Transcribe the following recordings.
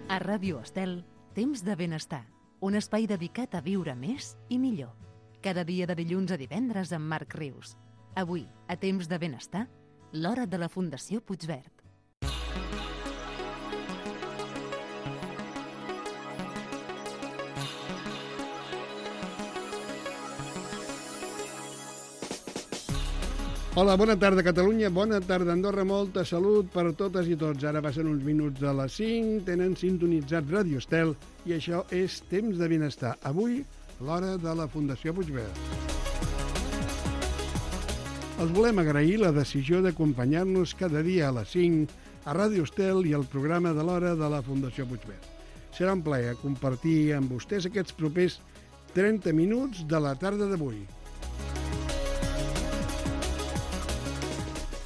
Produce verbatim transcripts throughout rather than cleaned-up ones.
A Ràdio Estel, Temps de Benestar, un espai dedicat a viure més i millor. Cada dia de dilluns a divendres amb Marc Rius. Avui, a Temps de Benestar, l'hora de la Fundació Puigverd. Hola, bona tarda Catalunya, bona tarda Andorra, molta salut per totes i tots. Ara passen uns minuts de les cinc, tenen sintonitzat Ràdio Estel i això és Temps de Benestar. Avui, l'hora de la Fundació Puigverd. Els volem agrair la decisió d'acompanyar-nos cada dia a les cinc a Ràdio Estel i al programa de l'hora de la Fundació Puigverd. Serà un plaer compartir amb vostès aquests propers trenta minuts de la tarda d'avui.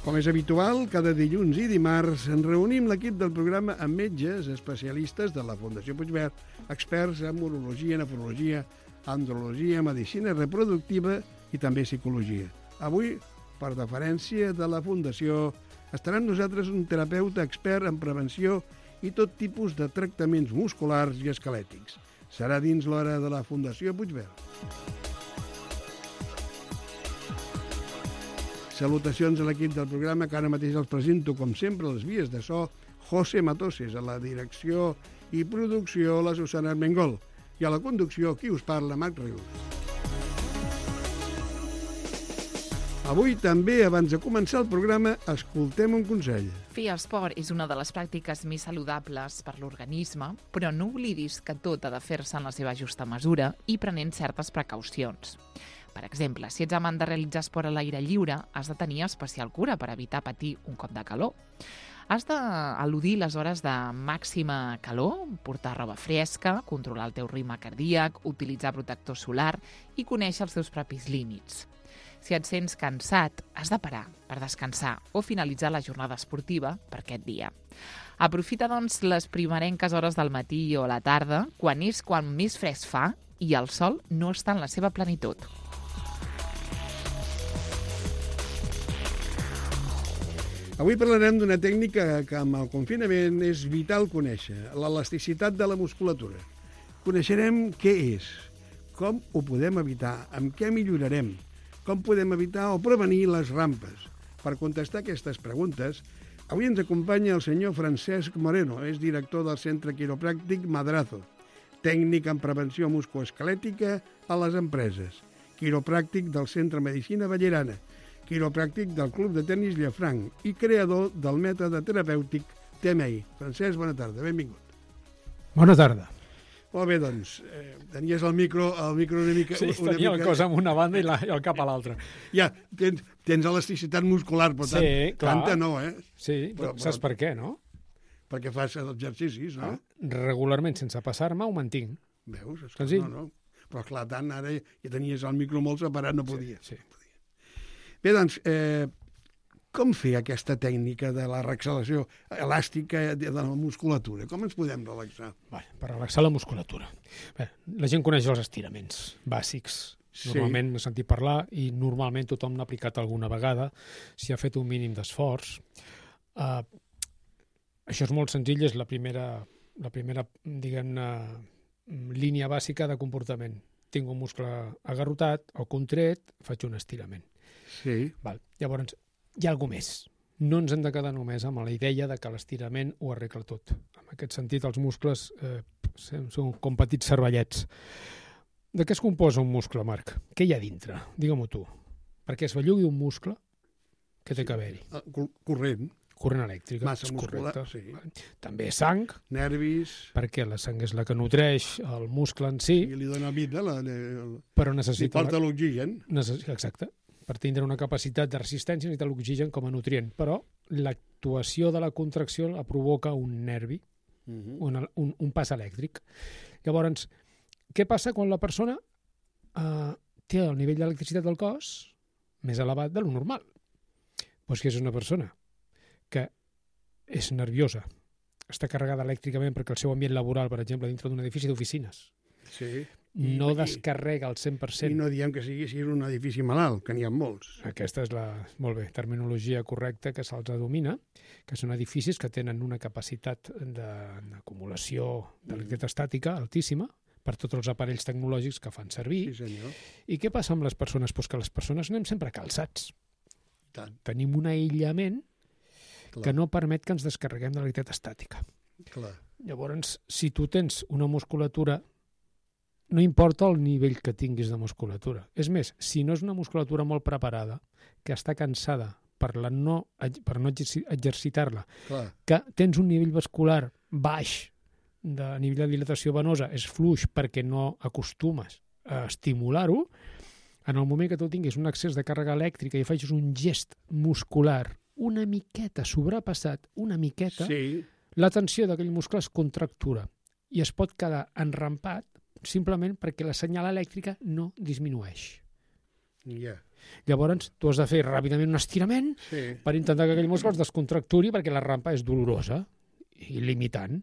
Com és habitual, cada dilluns i dimarts ens reunim l'equip del programa amb metges especialistes de la Fundació Puigverd, experts en urologia, nefrologia, andrologia, medicina reproductiva i també psicologia. Avui, per deferència de la Fundació, estarà amb nosaltres un terapeuta expert en prevenció i tot tipus de tractaments musculars i esquelètics. Serà dins l'hora de la Fundació Puigverd. Salutacions a l'equip del programa, que ara mateix els presento, com sempre, les vies de so, José Matoses, a la direcció i producció, la Susana Armengol, i a la conducció, qui us parla, Marc Rius. Avui també, abans de començar el programa, escoltem un consell. Fer esport és una de les pràctiques més saludables per l'organisme, però no oblidis que tot ha de fer-se en la seva justa mesura i prenent certes precaucions. Per exemple, si ets amant de realitzar esport a l'aire lliure, has de tenir especial cura per evitar patir un cop de calor. Has d'eludir les hores de màxima calor, portar roba fresca, controlar el teu ritme cardíac, utilitzar protector solar i conèixer els teus propis límits. Si et sents cansat, has de parar per descansar o finalitzar la jornada esportiva per aquest dia. Aprofita, doncs, les primerenques hores del matí o a la tarda, quan és quan més fresc fa i el sol no està en la seva plenitud. Avui parlarem d'una tècnica que amb el confinament és vital conèixer, l'elasticitat de la musculatura. Coneixerem què és, com ho podem evitar, amb què millorarem, com podem evitar o prevenir les rampes. Per contestar aquestes preguntes, avui ens acompanya el senyor Francesc Moreno, és director del Centre Quiropràctic Madrazo, tècnic en prevenció musculoesquelètica a les empreses, quiropràctic del Centre Medicina Ballerana, quiropràctic del Club de Tenis Llafranc i creador del mètode terapèutic T M I. Francesc, bona tarda, benvingut. Bona tarda. Molt bé, doncs, eh, tenies el micro, el micro una mica... Sí, una tenia mica... el cos en una banda i, la, i el cap a l'altra. Ja, tens, tens elasticitat muscular, però tant, sí, clar. tanta no, eh? Sí, però, saps però, per què, no? Perquè fas exercicis, no? Ah, regularment, sense passar-me, ho mantinc. Veus? És Senzill. No, no. Però clar, tant, ara ja tenies el micro molt separat, no podia. Sí, sí. Bé, doncs, eh, com fer aquesta tècnica de la relaxació elàstica de la musculatura? Com ens podem relaxar? Bé, per relaxar la musculatura. Bé, la gent coneix els estiraments bàsics. Sí. Normalment n'he sentit parlar i normalment tothom n'ha aplicat alguna vegada si ha fet un mínim d'esforç. Uh, això és molt senzill, és la primera, la primera diguem-ne, línia bàsica de comportament. Tinc un muscle agarrotat o contret, faig un estirament. Sí. Val. Llavors, hi ha alguna més. No ens hem de quedar només amb la idea de que l'estirament ho arregla tot. En aquest sentit, els muscles eh, són com petits cervellets. De què es composa un muscle, Marc? Què hi ha dintre? Digue-m'ho tu. Perquè es bellugui un muscle, què té que haver-hi? Corrent. Corrent elèctric. Massa muscular, sí. També sang. Nervis. Perquè la sang és la que nutreix el muscle en si. I li dona vida. La, la, però necessita... Li porta l'oxigen. Necess... Exacte. Per tindre una capacitat de resistència necessita l'oxigen com a nutrient, però l'actuació de la contracció la provoca un nervi, uh-huh. un, un, un pas elèctric. Llavors, què passa quan la persona eh, té el nivell d'electricitat del cos més elevat de lo normal? Doncs que és una persona que és nerviosa, està carregada elèctricament perquè el seu ambient laboral, per exemple, dintre d'un edifici d'oficines, sí. I, no i, descarrega al cent per cent. I no diem que sigui, sigui un edifici malalt, que n'hi ha molts. Aquesta és la, molt bé, terminologia correcta que se'ls domina, que són edificis que tenen una capacitat d'acumulació d'electricitat estàtica altíssima per tots els aparells tecnològics que fan servir. Sí, senyor. I què passa amb les persones? Pues que les persones anem sempre calçats. Tant. Tenim un aïllament Clar. que no permet que ens descarreguem de l'electricitat estàtica. Clar. Llavors, si tu tens una musculatura, no importa el nivell que tinguis de musculatura. És més, si no és una musculatura molt preparada, que està cansada per, la no, per no exercitar-la, Clar. que tens un nivell vascular baix, de nivell de dilatació venosa, és fluix perquè no acostumes a estimular-ho, en el moment que tu tinguis un excés de càrrega elèctrica i facis un gest muscular una miqueta sobrepassat, una miqueta, Sí. la tensió d'aquell muscle es contractura i es pot quedar enrampat simplement perquè la senyal elèctrica no disminueix. Ja. Llavors, tu has de fer ràpidament un estirament Sí. per intentar que aquell muscle es descontracturi perquè la rampa és dolorosa i limitant.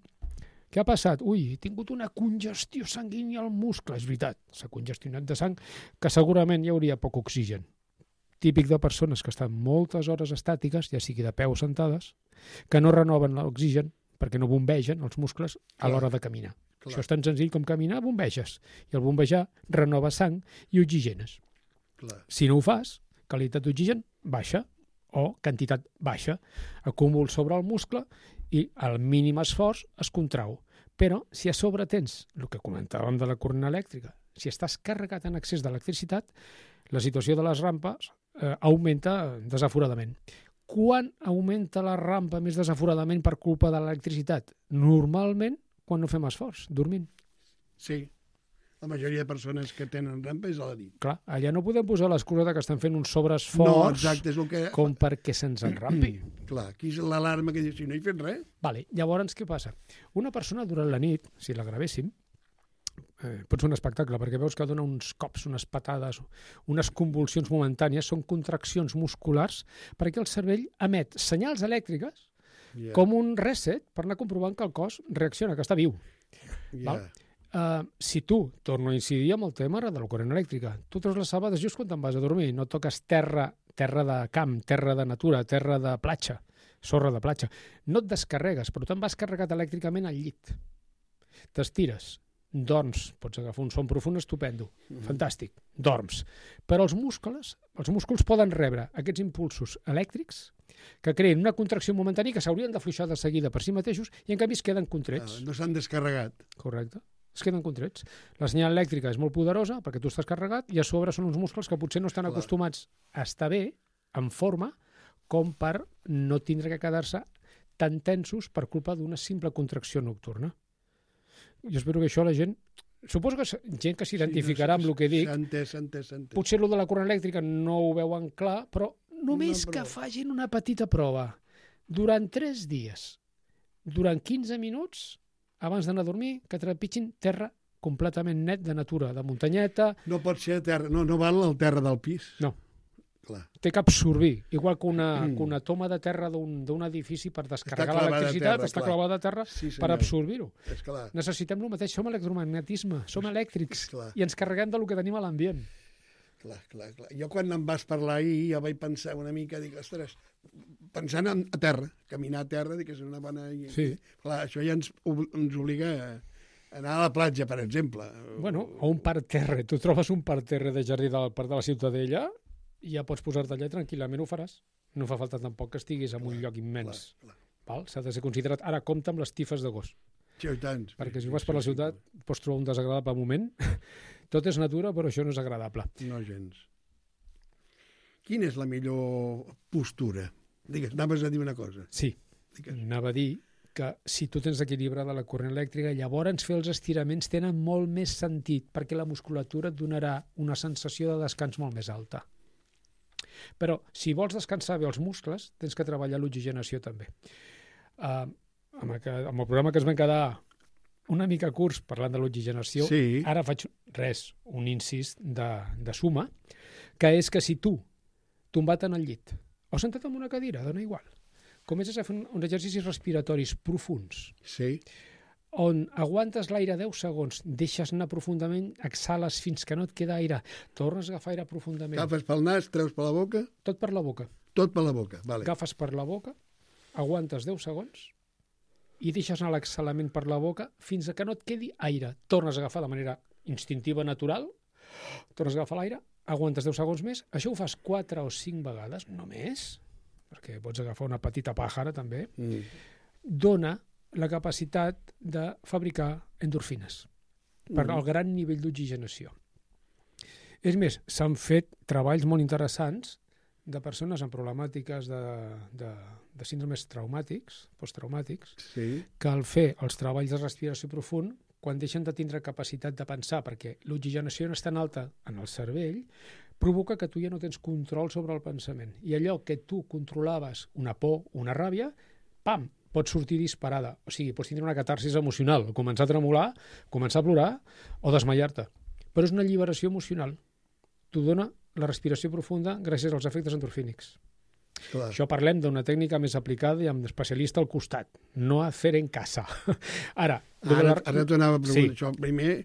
Què ha passat? Ui, he tingut una congestió sanguínia al muscle. És veritat, s'ha congestionat de sang, que segurament hi hauria poc oxigen. Típic de persones que estan moltes hores estàtiques, ja sigui de peu o sentades, que no renoven l'oxigen perquè no bombegen els muscles a l'hora de caminar. Clar. Això és tan senzill com caminar, bombeges. I el bombejar renova sang i oxigenes. Clar. Si no ho fas, qualitat d'oxigen baixa o quantitat baixa. Acúmul sobre el muscle i al mínim esforç es contrau. Però si a sobre tens el que comentàvem de la corrent elèctrica, si estàs carregat en excés d'electricitat, la situació de les rampes eh, augmenta desaforadament. Quan augmenta la rampa més desaforadament per culpa de l'electricitat? Normalment quan no fem esforç, dormint. Sí. La majoria de persones que tenen rampa és a la nit. Clar, allà no podem posar l'excusa de que estan fent un No, sobreesforç exacte, és el que... com perquè se'ns enrampi. Clar, aquí és l'alarma que diu, si no hi fet res... Vale. Llavors, què passa? Una persona durant la nit, si la gravéssim, eh, pot ser un espectacle, perquè veus que dona uns cops, unes patades, unes convulsions momentànies, són contraccions musculars, perquè el cervell emet senyals elèctriques Yeah. com un reset per anar comprovant que el cos reacciona, que està viu. Yeah. Val? Uh, si tu, torno a incidir amb el tema de la corrent elèctrica, tu treus les sabades just quan te'n vas a dormir, no toques terra, terra de camp, terra de natura, terra de platja, sorra de platja, no et descarregues, però te'n vas carregat elèctricament al llit. T'estires, dorms, pots agafar un son profund estupendo, mm-hmm. fantàstic, dorms. Però els muscles, els músculs poden rebre aquests impulsos elèctrics que creen una contracció momentània que s'haurien d'afluixar de seguida per si mateixos i en canvi es queden contrets. Ah, no s'han descarregat. Correcte. Es queden contrets. La senyal elèctrica és molt poderosa perquè tu estàs carregat i a sobre són uns músculs que potser no estan Clar. acostumats a estar bé, en forma, com per no tindre que quedar-se tan tensos per culpa d'una simple contracció nocturna. Jo espero que això la gent... Suposo que gent que s'identificarà Sí, no, amb el que dic, s'ha entès, s'ha entès, s'ha entès. potser el de la corrent elèctrica no ho veuen clar, però només No, que però- facin una petita prova durant tres dies, durant quinze minuts, abans d'anar a dormir, que trepitgin terra completament net de natura, de muntanyeta, No pot ser a terra, no, no val el terra del pis. no, Clar. té que absorbir, igual que una, Mm. que una toma de terra d'un d'un edifici per descarregar clavada a l'electricitat, terra, està clar. clavada a terra Sí, per senyor. absorbir-ho. És clar. Necessitem el mateix, som electromagnetisme, som elèctrics, Clar. i ens carreguem del que tenim a l'ambient. Clar, clar, clar. Jo quan em vas parlar ahir, jo vaig pensar una mica, dic, ostres, pensant en, a terra, caminar a terra, dic que és una bona... Sí. Clar, això ja ens, ob- ens obliga a anar a la platja, per exemple. Bueno, o un parterre. Tu trobes un parterre de jardí del Parc de la Ciutadella i ja pots posar-te allà tranquil·lament, ho faràs. No fa falta tampoc que estiguis en un lloc immens. Clar, clar. Val? S'ha de ser considerat. Ara, compta amb les tifes de gos, Sí, i tant. perquè Sí, si vas sí, per la sí, ciutat pots trobar un desagradable moment. Tot és natura, però això no és agradable. No gens. Quina és la millor postura? Digues, anaves a dir una cosa. Sí, Digues. anava a dir que si tu tens equilibrada la corrent elèctrica, llavors fer els estiraments tenen molt més sentit, perquè la musculatura et donarà una sensació de descans molt més alta. Però si vols descansar bé els muscles, tens que treballar l'oxigenació també. Uh, amb, el, amb el programa que es van quedar una mica curts parlant de l'oxigenació, Sí. ara faig res, un incís de, de suma, que és que si tu, tombat en el llit, o sentat en una cadira, dona igual, comences a fer un, uns exercicis respiratoris profunds, Sí. on aguantes l'aire deu segons, deixes anar profundament, exhales fins que no et queda aire, tornes a agafar aire profundament. Agafes pel nas, treus per la boca? Tot per la boca. Tot per la boca, vale. Agafes per la boca, aguantes deu segons i deixes anar l'exhalament per la boca fins a que no et quedi aire. Tornes a agafar de manera instintiva, natural, tornes a agafar l'aire, aguantes deu segons més, això ho fas quatre o cinc vegades, no més, perquè pots agafar una petita pàjara també, mm. dona la capacitat de fabricar endorfines per mm. al gran nivell d'oxigenació. És més, s'han fet treballs molt interessants de persones amb problemàtiques de, de, de síndromes traumàtics, posttraumàtics, sí. que al fer els treballs de respiració profund, quan deixen de tindre capacitat de pensar, perquè l'oxigenació no és tan alta en el cervell, provoca que tu ja no tens control sobre el pensament. I allò que tu controlaves, una por, una ràbia, pam, pot sortir disparada. O sigui, pots tindre una catarsis emocional, començar a tremolar, començar a plorar o desmaiar-te. Però és una alliberació emocional. T'ho dona la respiració profunda gràcies als efectes endorfínics. Clar. Això parlem d'una tècnica més aplicada i amb especialista al costat. No a fer en casa. Ara, ara, la... ara t'ho anava a preguntar. Sí. Això primer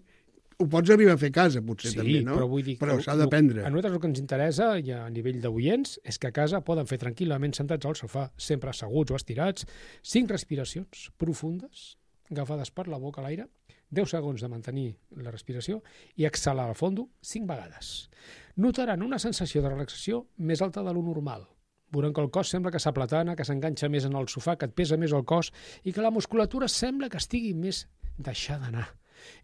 ho pots arribar a fer a casa, potser, sí, també, no? Però vull dir però s'ha d'aprendre. A nosaltres el que ens interessa, i a nivell d'oients, és que a casa poden fer tranquil·lament sentats al sofà, sempre asseguts o estirats, cinc respiracions profundes, agafades per la boca a l'aire, deu segons de mantenir la respiració i exhalar al fondo cinc vegades. Notaran una sensació de relaxació més alta de lo normal. Veuran que el cos sembla que s'aplatana, que s'enganxa més en el sofà, que et pesa més el cos i que la musculatura sembla que estigui més deixada d'anar.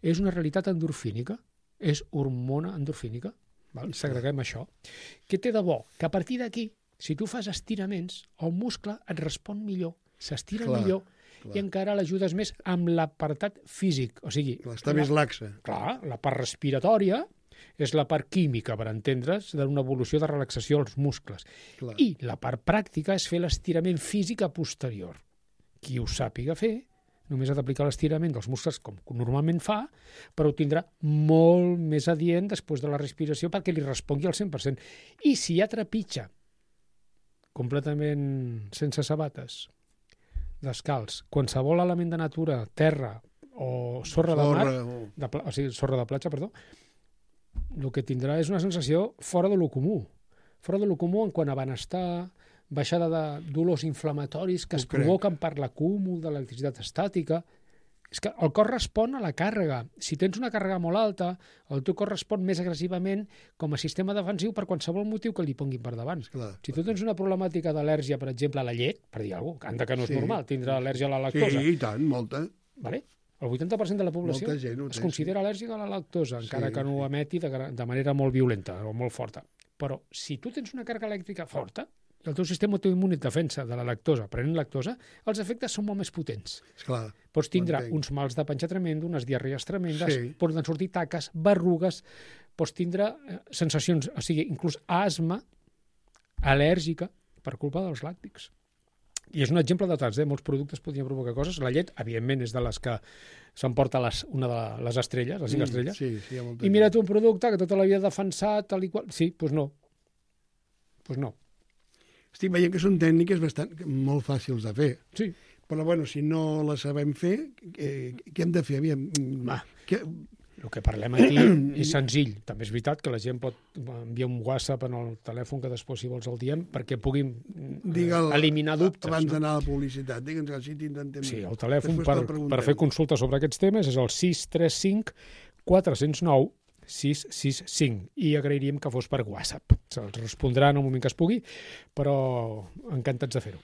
És una realitat endorfínica, és hormona endorfínica, val? Segreguem això. Què té de bo? Que a partir d'aquí, si tu fas estiraments, el muscle et respon millor, s'estira millor clar. I encara l'ajudes més amb l'apartat físic. O sigui, clar, està la, més laxa. Clar, la part respiratòria és la part química, per entendre's, d'una evolució de relaxació als muscles. Clar. I la part pràctica és fer l'estirament físic a posterior. Qui ho sàpiga fer, només ha d'aplicar l'estirament dels muscles com normalment fa, però ho tindrà molt més adient després de la respiració perquè li respongui al cent per cent. I si ja trepitja completament sense sabates, descalç, qualsevol element de natura, terra o sorra, sorra de mar, de, o sigui, sorra de platja, perdó, el que tindrà és una sensació fora de lo comú. Fora de lo comú en quant a benestar, baixada de dolors inflamatoris que es provoquen per l'acúmul de l'electricitat estàtica. És que el cos respon a la càrrega. Si tens una càrrega molt alta, el teu cos respon més agressivament com a sistema defensiu per qualsevol motiu que li ponguin per davant. Clar, si tu tens una problemàtica d'al·lèrgia, per exemple, a la llet, per dir alguna cosa, que no és sí. normal, tindre al·lèrgia a la lactosa. Sí, i tant, molta. Vale? El vuitanta per cent de la població es considera al·lèrgica a la lactosa, encara sí, que no ho emeti de, de manera molt violenta o molt forta. Però si tu tens una càrrega elèctrica forta, i el teu sistema autoimmune et defensa de la lactosa, prenent lactosa, els efectes són molt més potents. Esclar, pots tindre uns mals de panxa tremendo, unes diarrees tremendes, sí. poden sortir taques, berrugues, pots tindre eh, sensacions, o sigui, inclús asma al·lèrgica per culpa dels làctics. I és un exemple de tants, eh? Molts productes podrien provocar coses. La llet, evidentment, és de les que s'emporta les, una de les estrelles, les cinc mm, estrelles. Sí, sí, I mira tu un producte que tota la vida defensat, tal i qual... Sí, doncs pues no. Doncs pues no. Estic veient que són tècniques bastant molt fàcils de fer. Sí. Però, bueno, si no les sabem fer, eh, què hem de fer? Aviam, Va, que... el que parlem aquí és senzill. També és veritat que la gent pot enviar un WhatsApp en el telèfon que després, si vols, el diem, perquè puguin Digue'l, eliminar dubtes. Abans no? d'anar a la publicitat, digue'ns si t'intentem... Sí, el telèfon per, per fer consultes sobre aquests temes és el sis tres cinc quatre zero nou sis sis cinc i agrairíem que fos per WhatsApp. Se'ls respondrà en el moment que es pugui, però encantats de fer-ho.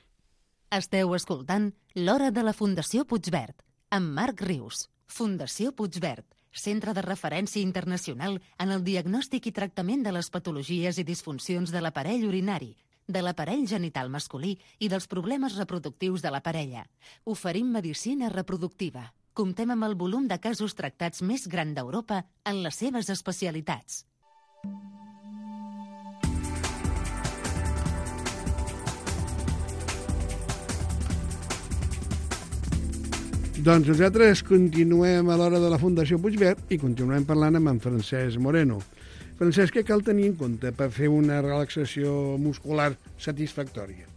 Esteu escoltant L'Hora de la Fundació Puigverd, amb Marc Rius. Fundació Puigverd, centre de referència internacional en el diagnòstic i tractament de les patologies i disfuncions de l'aparell urinari, de l'aparell genital masculí i dels problemes reproductius de la parella. Oferim medicina reproductiva. Comptem amb el volum de casos tractats més gran d'Europa en les seves especialitats. Doncs nosaltres continuem a l'Hora de la Fundació Puigverd i continuem parlant amb en Francesc Moreno. Francesc, què cal tenir en compte per fer una relaxació muscular satisfactòria?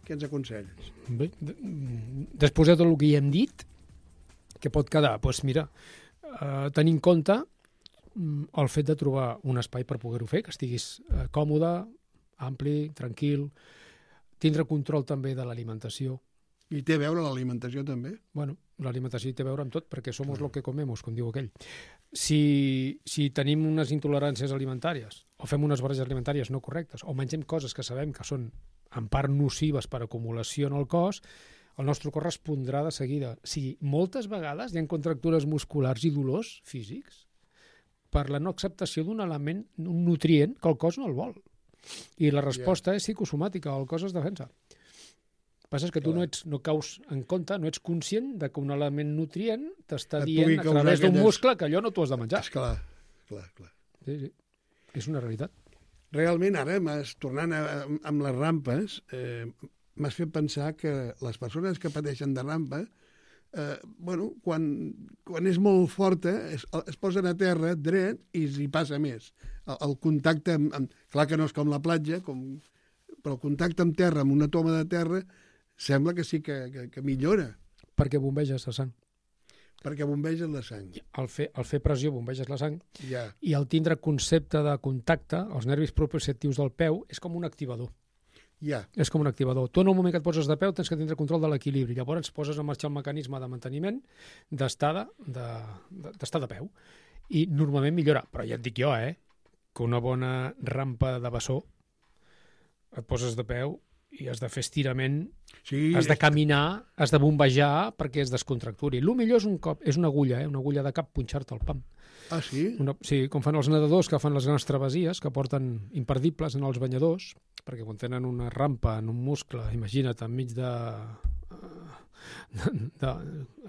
Què ens aconselles? Bé, després de tot el que hi hem dit, Què pot quedar? Doncs pues mira, eh, tenir en compte el fet de trobar un espai per poder-ho fer, que estiguis eh, còmode, ampli, tranquil, tindre control també de l'alimentació. I té a veure l'alimentació també? Bueno, l'alimentació té a veure amb tot, perquè somos lo que comemos, com diu aquell. Si, si tenim unes intoleràncies alimentàries, o fem unes barreges alimentàries no correctes, o mengem coses que sabem que són en part nocives per acumulació en el cos, el nostre cos respondrà de seguida. O sigui, moltes vegades hi ha contractures musculars i dolors físics per la no acceptació d'un element, un nutrient, que el cos no el vol. I la resposta yeah. és psicosomàtica, el cos es defensa. El que passa és que tu no, ets, no caus en compte, no ets conscient de que un element nutrient t'està dient a través d'un aquelles... muscle que allò no t'ho has de menjar. Esclar, clar, clar. Sí, sí. És una realitat. Realment, ara, tornant a, amb les rampes, eh, m'has fet pensar que les persones que pateixen de rampa, eh, bueno, quan, quan és molt forta, es, es posen a terra dret i s'hi passa més. El, el contacte, amb, amb, clar que no és com la platja, com, però el contacte amb terra, amb una toma de terra, sembla que sí que, que, que millora. Perquè bombeges la sang. Perquè bombeges la sang. Al fer, al fer pressió bombeges la sang ja. I al tindre concepte de contacte, els nervis proprioceptius del peu, és com un activador. Ja. És com un activador. Tu en el moment que et poses de peu tens que tindre control de l'equilibri. Llavors poses a marxar el mecanisme de manteniment d'estar de, de, d'estar de peu. I normalment millora. Però ja et dic jo, eh, que una bona rampa de bessó et poses de peu i has de fer estirament, sí, has de caminar, has de bombejar perquè es descontracturi. El millor és un cop, és una agulla, eh? Una agulla de cap, punxar-te el pam. Ah, sí? Una, sí, com fan els nedadors que fan les grans travessies, que porten imperdibles en els banyadors, perquè quan tenen una rampa en un muscle, imagina't, enmig de... de, de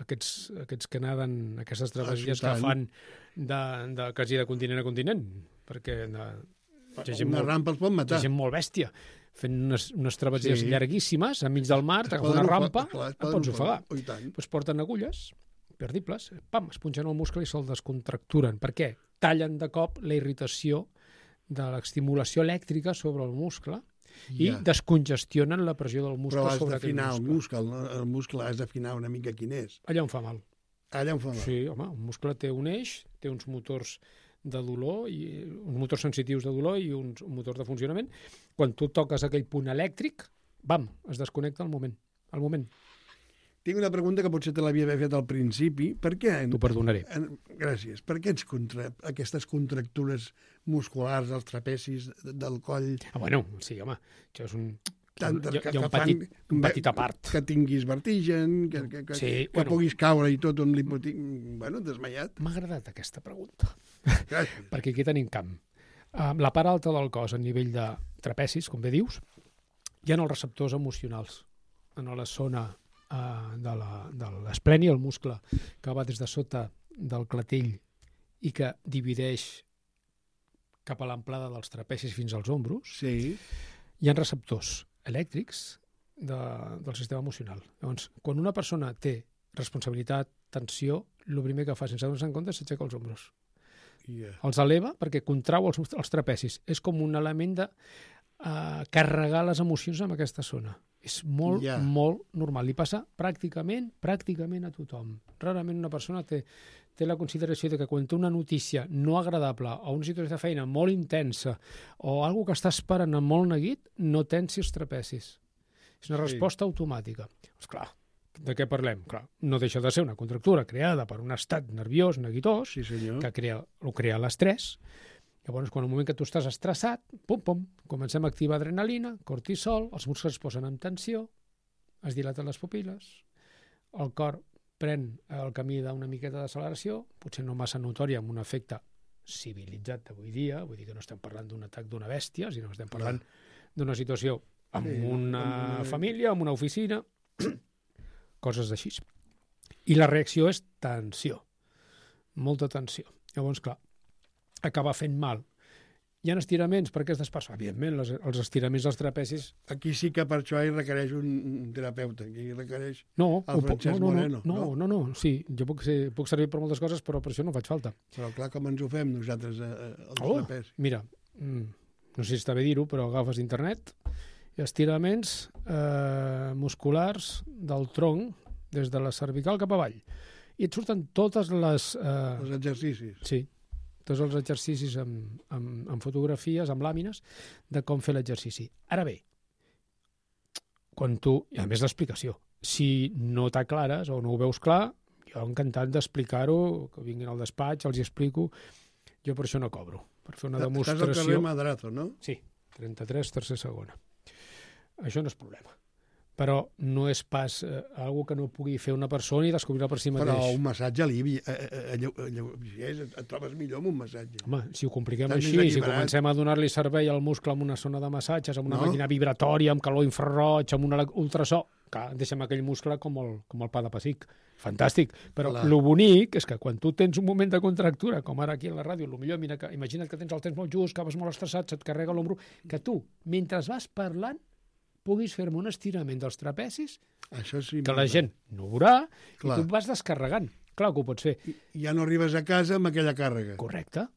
aquests, aquests que naden, aquestes travessies ah, que fan de, de, quasi de continent a continent, perquè de, una molt, rampa els pot matar. Hi ha gent molt bèstia fent unes, unes travessies sí. llarguíssimes enmig del mar, t'agafes una rampa, clar, et pots ofegar. Pues porten agulles perdibles, pam, es punxen el muscle i se'l descontracturen. Per què? Tallen de cop la irritació de l'estimulació elèctrica sobre el muscle i ja. descongestionen la pressió del muscle sobre aquell muscle. Però has d'afinar el muscle, el muscle has d'afinar una mica quin és. Allà on fa mal. Allà on fa mal. Sí, home, un muscle té un eix, té uns motors de dolor, i uns motors sensitius de dolor i uns, un motor de funcionament. Quan tu toques aquell punt elèctric, bam, es desconnecta al moment. Al moment. Tinc una pregunta que potser te l'havia fet al principi. Per què? T'ho perdonaré. En, gràcies. Per què ets contra, aquestes contractures musculars als trapecis del coll? Ah, bueno, sí, home, això és un... Tantes hi ha, que, hi ha un, que petit, fan, un petit apart. Que tinguis vertigen, que, que, que, sí, que bueno. puguis caure i tot amb l'hipotic... Bueno, desmaiat. M'ha agradat aquesta pregunta. Gràcies. Perquè aquí tenim camp. Uh, la part alta del cos, a nivell de trapecis, com bé dius, hi ha els receptors emocionals en la zona uh, de l'espleni, el muscle que va des de sota del clatell i que divideix cap a l'amplada dels trapecis fins als ombros. Sí. Hi ha receptors elèctrics de, del sistema emocional. Llavors, quan una persona té responsabilitat, tensió, el primer que fa sense donar-se en compte és aixecar els ombros. Yeah. Els eleva perquè contrau els, els trapecis. És com un element de uh, carregar les emocions en aquesta zona. És molt, yeah. molt normal. Li passa pràcticament, pràcticament a tothom. Rarament una persona té, té la consideració de que quan té una notícia no agradable o una situació de feina molt intensa o alguna que està esperant amb molt neguit, no tensi els trapecis. És una resposta sí. automàtica. Pues clar, de què parlem? Clar, no deixa de ser una contractura creada per un estat nerviós, neguitós, sí, que crea, ho crea l'estrès. Llavors, quan al moment que tu estàs estressat, pum, pum, comencem a activar adrenalina, cortisol, els muscles es posen en tensió, es dilaten les pupil·les, el cor pren el camí d'una miqueta d'acceleració, potser no massa notòria, amb un efecte civilitzat d'avui dia, vull dir que no estem parlant d'un atac d'una bèstia, sinó que estem parlant d'una situació amb sí, una amb... família, amb una oficina, coses d'així. I la reacció és tensió, molta tensió. Llavors, clar, acaba fent mal. Hi ha estiraments per aquestes persones. Evidentment, les, els estiraments dels trapecis... Aquí sí que per això hi requereix un, un terapeuta, aquí requereix no, el Francesc no, no, Moreno. No, no, no, no, sí, jo puc, ser, puc servir per moltes coses, però per això no faig falta. Però clar, com ens ho fem nosaltres, eh, els oh, trapecis? Mira, no sé si està bé dir-ho, però agafes internet i estiraments eh, musculars del tronc des de la cervical cap avall. i et surten totes les... Eh... Els exercicis. Sí, tots els exercicis amb, amb, amb fotografies, amb làmines, de com fer l'exercici. Ara bé, quan tu... I a més l'explicació. Si no t'aclares o no ho veus clar, jo encantat d'explicar-ho, que vinguin al despatx, els hi explico. Jo per això no cobro, per fer una demostració... Estàs al carrer Madrazo, no? Sí, trenta-tres, tercer segona. Això no és problema. Però no és pas eh, algo que no pugui fer una persona i descobrir-la per si mateix. Però un massatge alivi, eh, eh, eh, et trobes millor amb un massatge. Home, si ho compliquem Estàs així, si comencem a donar-li servei al muscle amb una zona de massatges, amb una No. màquina vibratòria, amb calor infraroig, amb un ultrasò, clar, deixem aquell muscle com el, com el pa de pessic. Fantàstic. Però Clar. el bonic és que quan tu tens un moment de contractura, com ara aquí a la ràdio, el millor, mira, que, imagina't que tens el temps molt just, que vas molt estressat, se't carrega l'ombro, que tu, mentre vas parlant, puguis fer-me un estirament dels trapecis, Això sí. que la gent no ho veurà, Clar. i tu vas descarregant. Clar que ho pots fer. Ja no arribes a casa amb aquella càrrega. Correcte.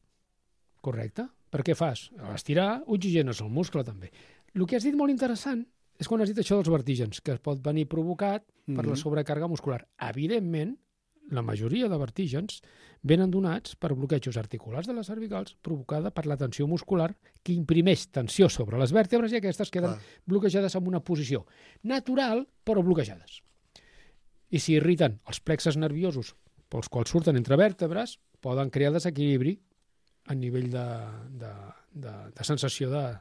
Correcte. Per què fas? A estirar, oxigenes el muscle també. El que has dit molt interessant és quan has dit això dels vertígens, que pot venir provocat per la Mhm. sobrecàrrega muscular. Evidentment, la majoria de vertígens venen donats per bloquejos articulars de les cervicals provocada per la tensió muscular que imprimeix tensió sobre les vèrtebres i aquestes queden Clar. bloquejades en una posició natural, però bloquejades. I si irriten els plexes nerviosos pels quals surten entre vèrtebres, poden crear desequilibri a nivell de, de, de, de sensació de,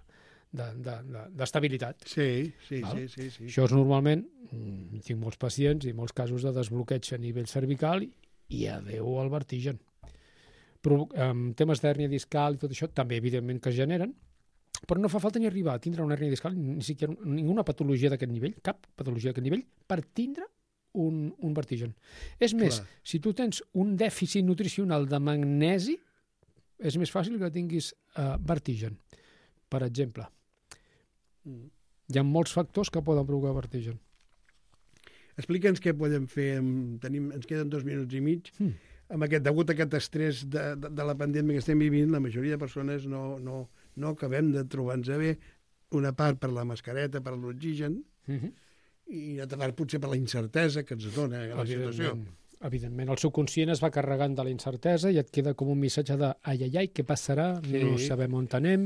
d'estabilitat. Sí, sí, Val? sí, sí, sí. Això és normalment, mm, tinc molts pacients i molts casos de desbloqueig a nivell cervical i, i adeu al vertigen. Però um, temes d'hèrnia discal i tot això també evidentment que es generen, però no fa falta ni arribar a tindre una hèrnia discal, ni siquiera ninguna patologia d'aquest nivell, cap patologia d'aquest nivell, per tindre un, un vertigen. És més, Clar. si tu tens un dèficit nutricional de magnesi, és més fàcil que tinguis uh, vertigen. Per exemple, hi ha molts factors que poden provocar vertigen. Explica'ns què podem fer. Amb... Tenim... Ens queden dos minuts i mig. Mm. Amb aquest, degut a aquest estrès de, de, de la pandèmia que estem vivint, la majoria de persones no, no, no acabem de trobar-nos bé. Una part per la mascareta, per l'oxigen, Mm-hmm. i l'altra part potser per la incertesa que ens dona la situació. Evidentment, evidentment. El subconscient es va carregant de la incertesa i et queda com un missatge de ai, ai, ai, què passarà? Sí. No sabem on anem.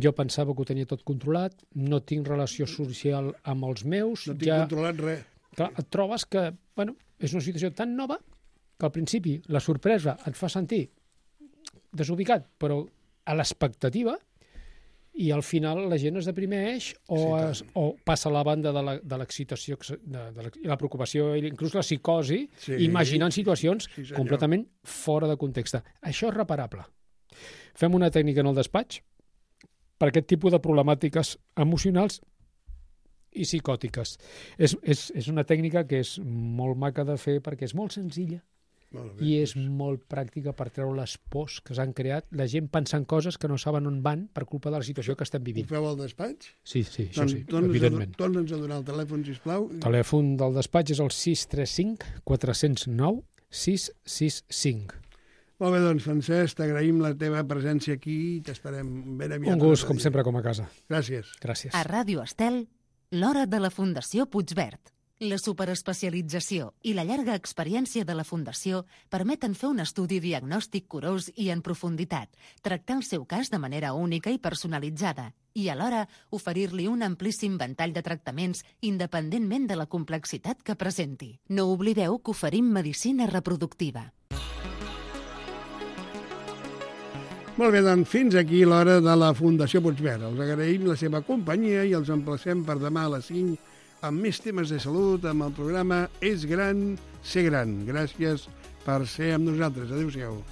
Jo pensava que ho tenia tot controlat, no tinc relació social amb els meus. No tinc ja... controlat res. Clar, et trobes que, bueno, és una situació tan nova que al principi la sorpresa et fa sentir desubicat, però a l'expectativa, i al final la gent es deprimeix o, Sí, es, o passa a la banda de la- de l'excitació de, de la, i la preocupació i inclús la psicosi, Sí. imaginant situacions Sí, senyor. completament fora de context. Això és reparable. Fem una tècnica en el despatx per aquest tipus de problemàtiques emocionals i psicòtiques. És, és, és una tècnica que és molt maca de fer perquè és molt senzilla Molt bé. i és molt pràctica per treure les pors que s'han creat, la gent pensant coses que no saben on van per culpa de la situació que estem Ho vivint. feu al despatx? Sí, sí, això sí, torna'ns a- evidentment. Torna'ns a donar el telèfon, sisplau. El telèfon del despatx és el sis tres cinc quatre zero nou sis sis cinc. Molt bé, doncs, Francesc, t'agraïm la teva presència aquí i t'esperem ben aviat. Un gust, com sempre, com a casa. Gràcies. Gràcies. A Ràdio Estel, l'hora de la Fundació Puigverd. La superespecialització i la llarga experiència de la Fundació permeten fer un estudi diagnòstic curós i en profunditat, tractar el seu cas de manera única i personalitzada i alhora oferir-li un amplíssim ventall de tractaments independentment de la complexitat que presenti. No oblideu que oferim medicina reproductiva. Molt bé, doncs fins aquí l'hora de la Fundació Puigverd. Els agraïm la seva companyia i els emplacem per demà a les cinc amb més temes de salut, amb el programa És gran, ser gran. Gràcies per ser amb nosaltres. Adéu-siau.